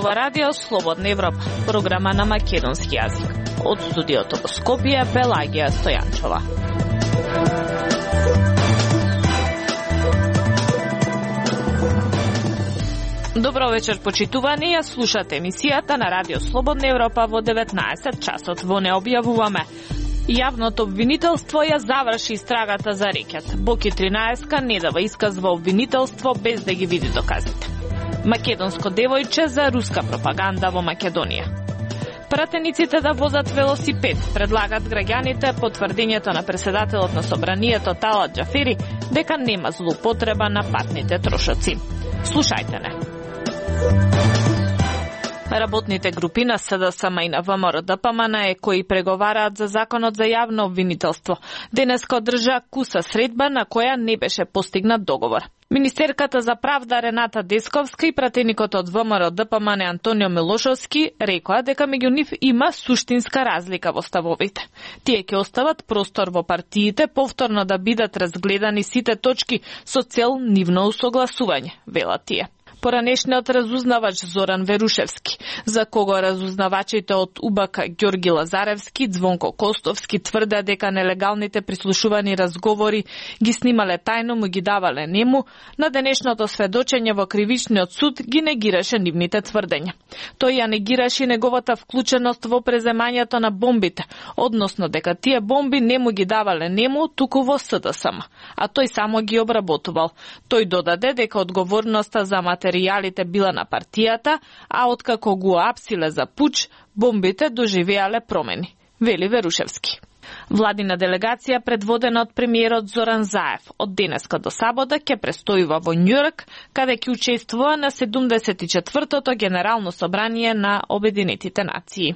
зборува Радио Слободна Европа, програма на македонски јазик. Од студиото во Скопје, Пелагија Стојанчова. Добро вечер, почитувани, ја слушате емисијата на Радио Слободна Европа во 19 часот. Во не објавуваме. Јавното обвинителство ја заврши истрагата за рекет. Боки 13 не дава исказ во обвинителство без да ги види доказите. Македонско девојче за руска пропаганда во Македонија. Пратениците да возат велосипед предлагат граѓаните потврдењето на председателот на собранието Талат Џафери дека нема злоупотреба на патните трошоци. Слушајте не. Работните групи на СДСМ и на ВМРО-ДПМН кои преговараат за законот за јавно обвинителство денеска одржа куса средба на која не беше постигнат договор. Министерката за правда Рената Десковска и пратеникот од ВМРО-ДПМН Антонио Милошовски рекоа дека меѓу нив има суштинска разлика во ставовите. Тие ќе остават простор во партиите повторно да бидат разгледани сите точки со цел нивно усогласување, велат тие. Поранешниот разузнавач Зоран Верушевски, за кого разузнавачите од УБК Ѓорги Лазаревски, Звонко Костовски тврде дека нелегалните прислушувани разговори ги снимале тајно, му ги давале нему, на денешното сведочење во кривичниот суд ги негираше нивните тврдења. Тој ја негираше неговата вклученост во преземањето на бомбите, односно дека тие бомби не му ги давале нему, туку во СДСМ, а тој само ги обработувал. Тој додаде дека одговорноста за материјалите била на партијата, а откако го апсиле за пуч, бомбите доживеале промени, вели Верушевски. Владина делегација предводена од премиерот Зоран Заев од денеска до сабота ќе престојува во Њујорк, каде ќе учествува на 74-тото Генерално собрание на Обединетите нации.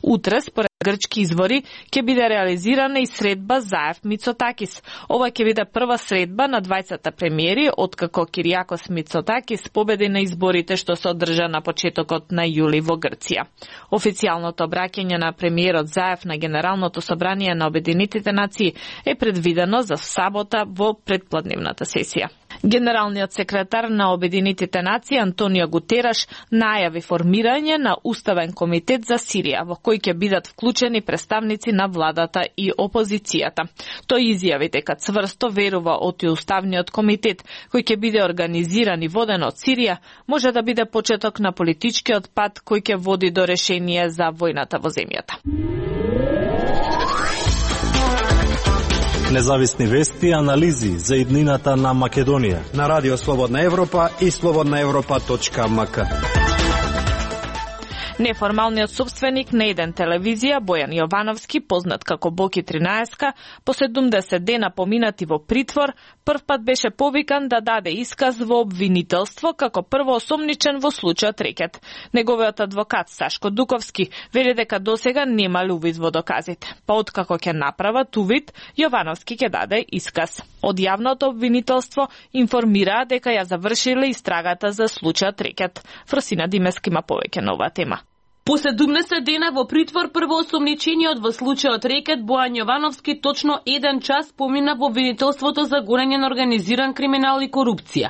Утре, според грчки извори, ќе биде реализирана и средба Заев-Мицотакис. Ова ќе биде прва средба на двајцата премиери, откако Кириакос Мицотакис победи на изборите што се одржа на почетокот на јули во Грција. Официјалното обраќање на премиерот Заев на Генералното собрание на Обединетите нации е предвидено за сабота во предпладневната сесија. Генералниот секретар на Обединетите нации Антонио Гутераш најави формирање на Уставен комитет за Сирија, во кој ќе бидат вклучени представници на владата и опозицијата. Тој изјави дека цврсто верува од Уставниот комитет, кој ќе биде организиран и воден од Сирија, може да биде почеток на политичкиот пат кој ќе води до решение за војната во земјата. Независни вести и анализи за иднината на Македонија на Радио Слободна Европа и slobodnaevropa.mk. Неформалниот собственик на еден телевизија, Бојан Јовановски, познат како Боки 13, по 70 дена поминати во притвор, првпат беше повикан да даде исказ во обвинителство како првоосомничен во случајот рекет. Неговиот адвокат Сашко Дуковски вели дека досега немал увид во доказите. Па откако ќе направат увид, Јовановски ќе даде исказ. Од јавното обвинителство информираа дека ја завршиле истрагата за случајот рекет. Фросина Димески има повеќе на оваа тема. По 70 дена во притвор првоосомничениот во случајот рекет Бојан Јовановски точно 1 час помина во обвинителството за гонење на организиран криминал и корупција.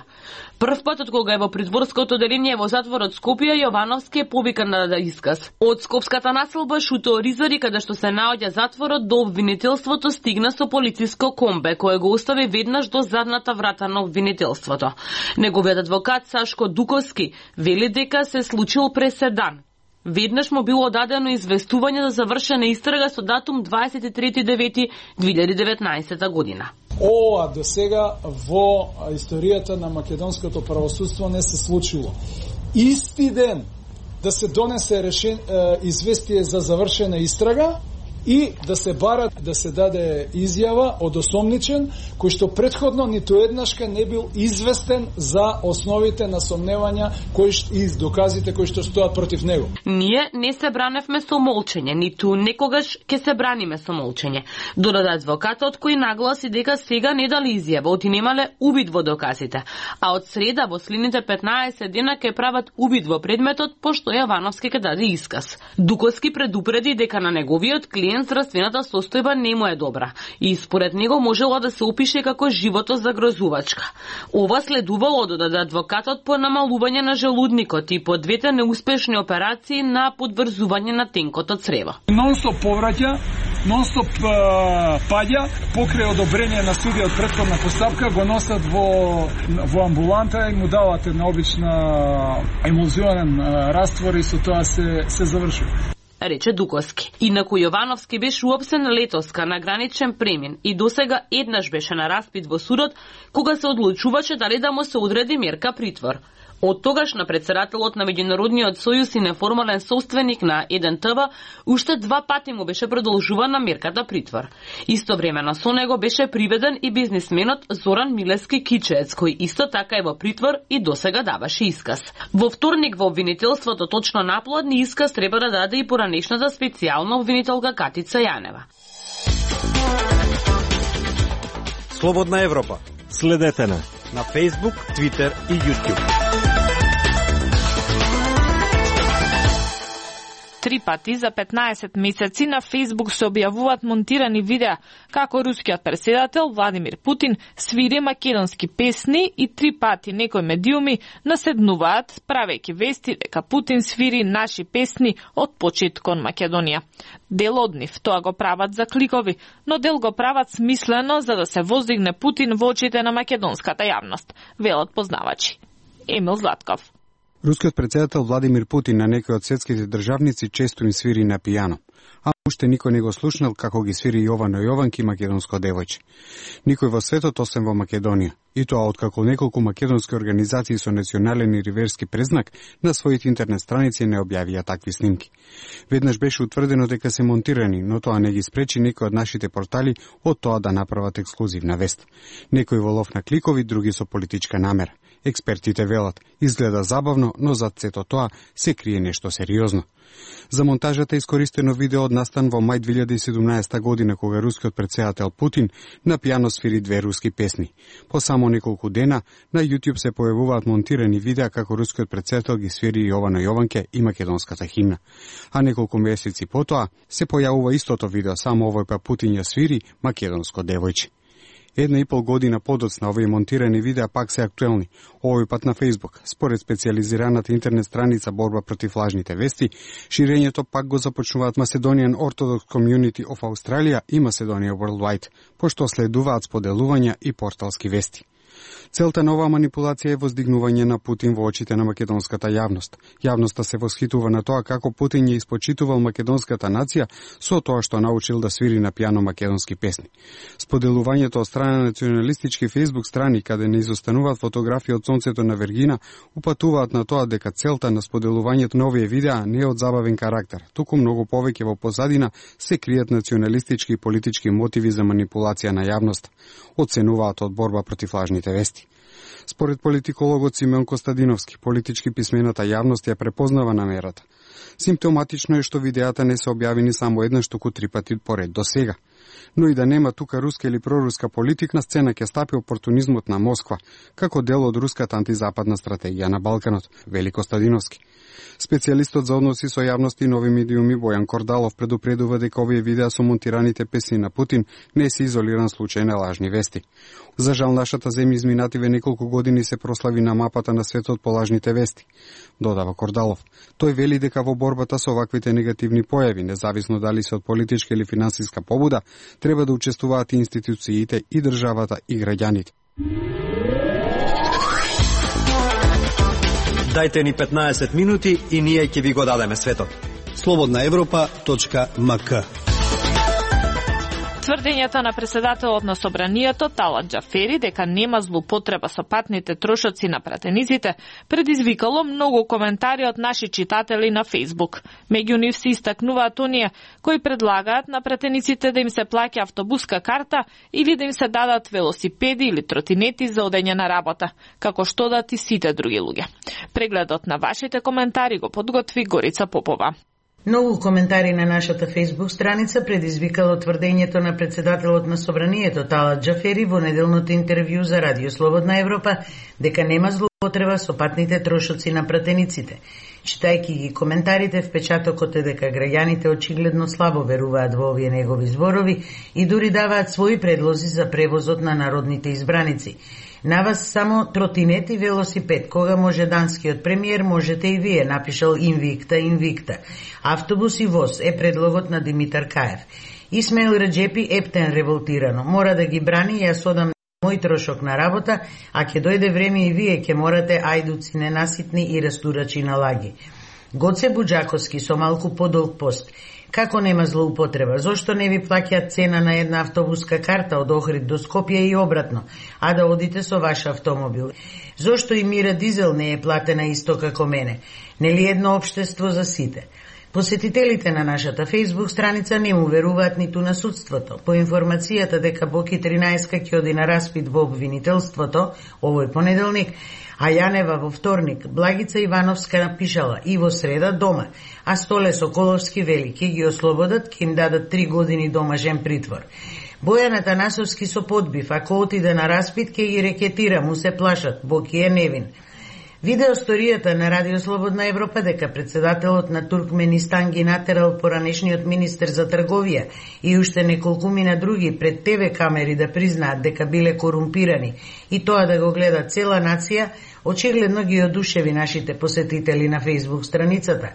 Прв пат од кога е во притворското одделение во затворот Скопје, Јовановски е повикан да даде исказ. Од скопската населба Шуто Оризари, каде што се наоѓа затворот, до обвинителството стигна со полициско комбе, кое го остави веднаш до задната врата на обвинителството. Неговиот адвокат Сашко Дуковски вели дека се случил преседан. Веднаш му било дадено известување за завршена истрага со датум 23.9.2019 година. Ова до сега во историјата на македонското правосудство не се случило. Исти ден да се донесе известие за завршена истрага и да се барат да се даде изјава од осомничен, кој што претходно ниту еднашка не бил известен за основите на сомневања и доказите кои што стоат против него. Ние не се браневме со молчење, ниту некогаш ќе се браниме со молчење. Додаде адвокатот кој нагласи дека сега не дали изјава, оти немале увид во доказите, а од среда во следните 15 дена ќе прават увид во предметот, пошто Јовановски ќе даде исказ. Дуковски предупреди дека на неговиот клиент ден здравствената состојба не му е добра и според него можело да се опише како живото загрозувачка. Ова следувало додаде адвокатот по намалување на желудникот и по двете неуспешни операции на подврзување на тенкото црево. Нонстоп повраќа, нонстоп паѓа, покрај одобрење на судија од претходна постапка, го носат во амбуланта и му дават една обична емулзионен раствор и со тоа се завршува, рече Дуковски. Инаку Јовановски беше уопсен летоска на граничен премин и досега еднаш беше на распит во судот кога се одлучуваше дали да му се одреди мерка притвор. Од тогаш на председателот на Меѓународниот сојуз и неформален собственик на 1ТВ уште 2 пати му беше продолжувана мерката притвор. Истовремено со него беше приведен и бизнисменот Зоран Милевски Кичеец, кој исто така е во притвор и досега даваше исказ. Во вторник во обвинителството точно наплодни исказ треба да даде и поранешната специјална обвинителка Катица Јанева. Слободна Европа. Следете на Facebook, Twitter и YouTube. 3 пати за 15 месеци на Facebook се објавуваат монтирани видеа како рускиот претседател Владимир Путин свири македонски песни и 3 пати некои медиуми наседнуваат правејќи вести дека Путин свири наши песни од почит кон Македонија. Дел од нив тоа го прават за кликови, но дел го прават смислено за да се воздигне Путин во очите на македонската јавност, велат познавачи. Емил Златков. Рускиот претседател Владимир Путин на некои од светските државници често им свири на пијано, а уште никој не го слушнал како ги свири Јовано Јованки македонско девојче. Никој во светот освен во Македонија, и тоа откако неколку македонски организации со национален и риверски презнак на своите интернет страници не објавија такви снимки. Веднаш беше утврдено дека се монтирани, но тоа не ги спречи некои од нашите портали од тоа да направат ексклузивна вест. Некои во лов на кликови, други со политичка намера. Експертите велат, изгледа забавно, но зад сето тоа се крие нешто сериозно. За монтажата искористено видео од настан во мај 2017 година, кога рускиот претседател Путин на пијано свири 2 руски песни. По само неколку дена на YouTube се појавуваат монтирани видеа како рускиот претседател ги свири Јовано Јованке и македонската химна. А неколку месеци потоа се појавува истото видео, само овој пат Путин ја свири македонско девојче. 1,5 година подоцна овие монтирани видеа пак се актуелни, овој пат на Facebook. Според специјализираната интернет страница Борба против лажните вести, ширењето пак го започнуваат Macedonian Orthodox Community of Australia и Macedonia Worldwide, пошто следуваат споделувања и порталски вести. Целта на оваа манипулација е воздигнување на Путин во очите на македонската јавност. Јавноста се восхитува на тоа како Путин ја испочитувал македонската нација со тоа што научил да свири на пијано македонски песни. Споделувањето од страна на националистички Facebook страни, каде не изостануваат фотографии од сонцето на Вергина, упатуваат на тоа дека целта на споделувањето на овие видеа не е од забавен карактер, туку многу повеќе во позадина се кријат националистички и политички мотиви за манипулација на јавноста, оценуваат од Борба против лажните вести. Според политикологот Симеон Костадиновски, политички писмената јавност ја препознава намерата. Симптоматично е што видеата не се објавени само еднаш, туку 3 пати поред до сега. Но и да нема тука руска или проруска политика, на сцена ќе стапи опортунизмот на Москва, како дел од руската антизападна стратегија на Балканот, вели Костадиновски. Специјалистот за односи со јавност и нови медиуми Бојан Кордалов предупредува дека овие видеа со монтираните песни на Путин не се изолиран случај на лажни вести. За жал, нашата земја изминативе неколку години се прослави на мапата на светот по лажните вести, додава Кордалов. Тој вели дека во борбата со ваквите негативни појави, независно дали се од политичка или финансиска побуда, треба да учествуваат и институциите, и државата, и граѓаните. Дајте ни 15 минути и ние ќе ви го дадеме светот. slobodnaevropa.mk. Тврдењата на председателот на собранието Талат Џафери дека нема злоупотреба со патните трошоци на пратениците предизвикало многу коментари од наши читатели на Facebook. Меѓу нив се истакнуваат оние кои предлагаат на пратениците да им се плаќа автобуска карта или да им се дадат велосипеди или тротинети за одење на работа, како што дат и сите други луѓе. Прегледот на вашите коментари го подготви Горица Попова. Многу коментари на нашата Facebook страница предизвикало тврдењето на председателот на Собранието Талат Џафери во неделното интервју за Радио Слободна Европа дека нема злоупотреба со патните трошоци на пратениците. Читајќи ги коментарите, впечатокот е дека граѓаните очигледно слабо веруваат во овие негови зборови и дури даваат своји предлози за превозот на народните избраници. На вас само тротинет и велосипед. Кога може данскиот премиер, можете и вие, напишал Инвикта. Автобус и воз е предлогот на Димитар Каев. Исмаил Раджепи ептен револтирано. Мора да ги брани, јас одам мој трошок на работа, а ќе дојде време и вие ќе морате ајдуци ненаситни и растурачи на лаги. Гоце Буџаковски со малку подолг пост. Како нема злоупотреба? Зошто не ви плаќаат цена на една автобуска карта од Охрид до Скопје и обратно, а да одите со ваш автомобил? Зошто и Мира Дизел не е платена исто како мене? Нели едно општество за сите? Посетителите на нашата Facebook страница не му веруваат ниту на судството. По информацијата дека Боки 13 ќе оди на распит во обвинителството овој понеделник, а Јанева во вторник, Благица Ивановска напишала и во среда дома, а Столе Соколовски вели ќе ги ослободат, ќе им дадат 3 години домашен притвор. Бојан Атанасовски со подбив, ако отиде на распит ќе ги рекетира, му се плашат, Боки е невин. Видео сторијата на Радио Слободна Европа дека председателот на Туркменистан ги натерал поранешниот министер за трговија и уште неколкумина други пред ТВ камери да признаат дека биле корумпирани и тоа да го гледа цела нација, очигледно ги одушеви нашите посетители на Facebook страницата.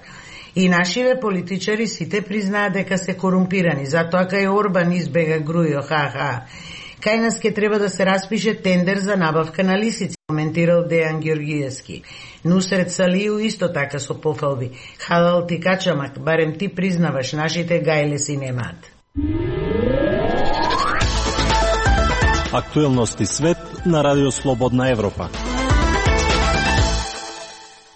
И нашиве политичари сите признаат дека се корумпирани, затоа кај Орбан избега Грујо, Кај нас ке треба да се распише тендер за набавка на лисици, коментирал Дејан Георгиевски. Нусрет Салију исто така со пофалби. Халал ти качамак, барем ти признаваш, нашите гајле си немаат. Актуелности свет на Радио Слободна Европа.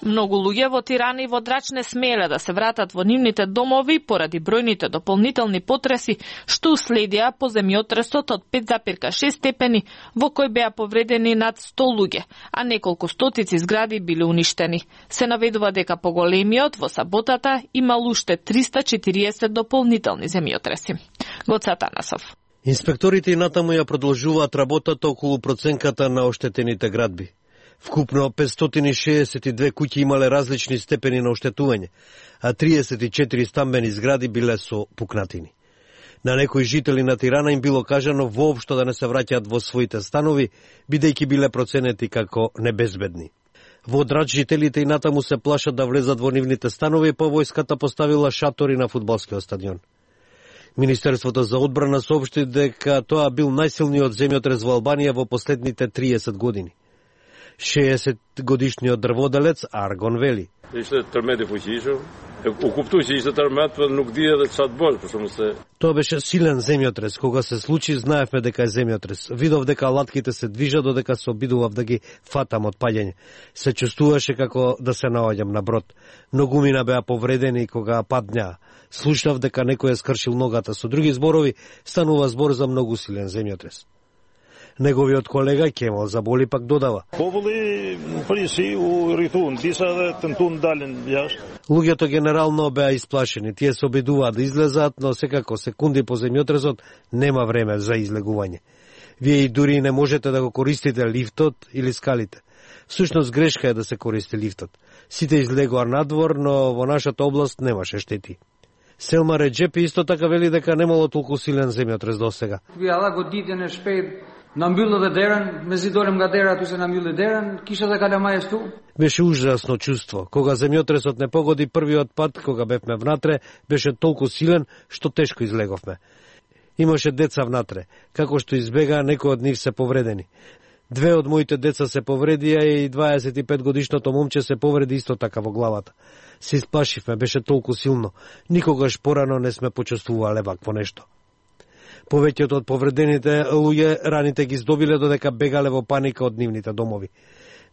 Многу луѓе во Тирана и во Драч не смееле да се вратат во нивните домови поради бројните дополнителни потреси што уследија по земјотресот од 5,6 степени во кој беа повредени над 100 луѓе, а неколку стотици згради биле уништени. Се наведува дека поголемиот во саботата имал уште 340 дополнителни земјотреси. Гоце Атанасов. Инспекторите и натаму ја продолжуваат работата околу проценката на оштетените градби. Вкупно 562 куќи имале различни степени на оштетување, а 34 стамбени згради биле со пукнатини. На некои жители на Тирана им било кажано воопшто да не се враќаат во своите станови, бидејќи биле проценети како небезбедни. Во Драч жителите и натаму се плашат да влезат во нивните станови, па војската поставила шатори на фудбалскиот стадион. Министерството за одбрана соопшти дека тоа бил најсилниот земјотрес во Албанија во последните 30 години. 60-годишниот дрводелец Аргон вели. Тоа беше силен земјотрес. Кога се случи, знаевме дека е земјотрес. Видов дека латките се движат додека се обидував да ги фатам од паѓање. Се чувствуваше како да се наоѓам на брод. Многумина беа повредени кога падњаа. Слушнав дека некој е скршил ногата. Со други зборови, станува збор за многу силен земјотрес. Неговиот колега Кемал Заболи пак додава. Луѓето генерално беа исплашени. Тие се обидуваат да излезат, но секако секунди по земјотресот нема време за излегување. Вие и дури не можете да го користите лифтот или скалите. Всушност грешка е да се користи лифтот. Сите излегоа надвор, но во нашата област немаше штети. Селма Реджепи исто така вели дека немало толку силен земјотрес досега. Беше ужасно чувство. Кога земјотресот не погоди првиот пат, кога бевме внатре, беше толку силен што тешко излеговме. Имаше деца внатре. Како што избега, некои од нив се повредени. 2 од моите деца се повредија и 25 годишното момче се повреди исто така во главата. Се исплашивме, беше толку силно. Никогаш порано не сме почувствувале вакво нешто. Повеќето од повредените луѓе раните ги здобиле додека бегале во паника од нивните домови.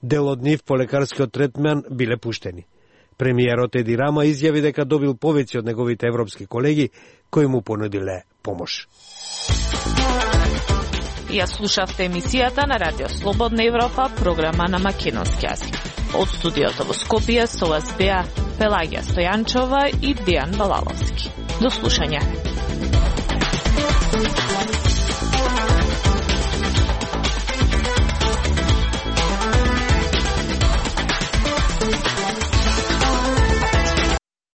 Дел од нив по лекарскиот третман биле пуштени. Премиерот Еди Рама изјави дека добил повеќе од неговите европски колеги кои му понудиле помош. Ја слушавте емисијата на Радио Слободна Европа, програма на македонски јазик. Од студиото во Скопје со вас беа Пелагија Стојанчова и Дејан Балаловски. До слушање.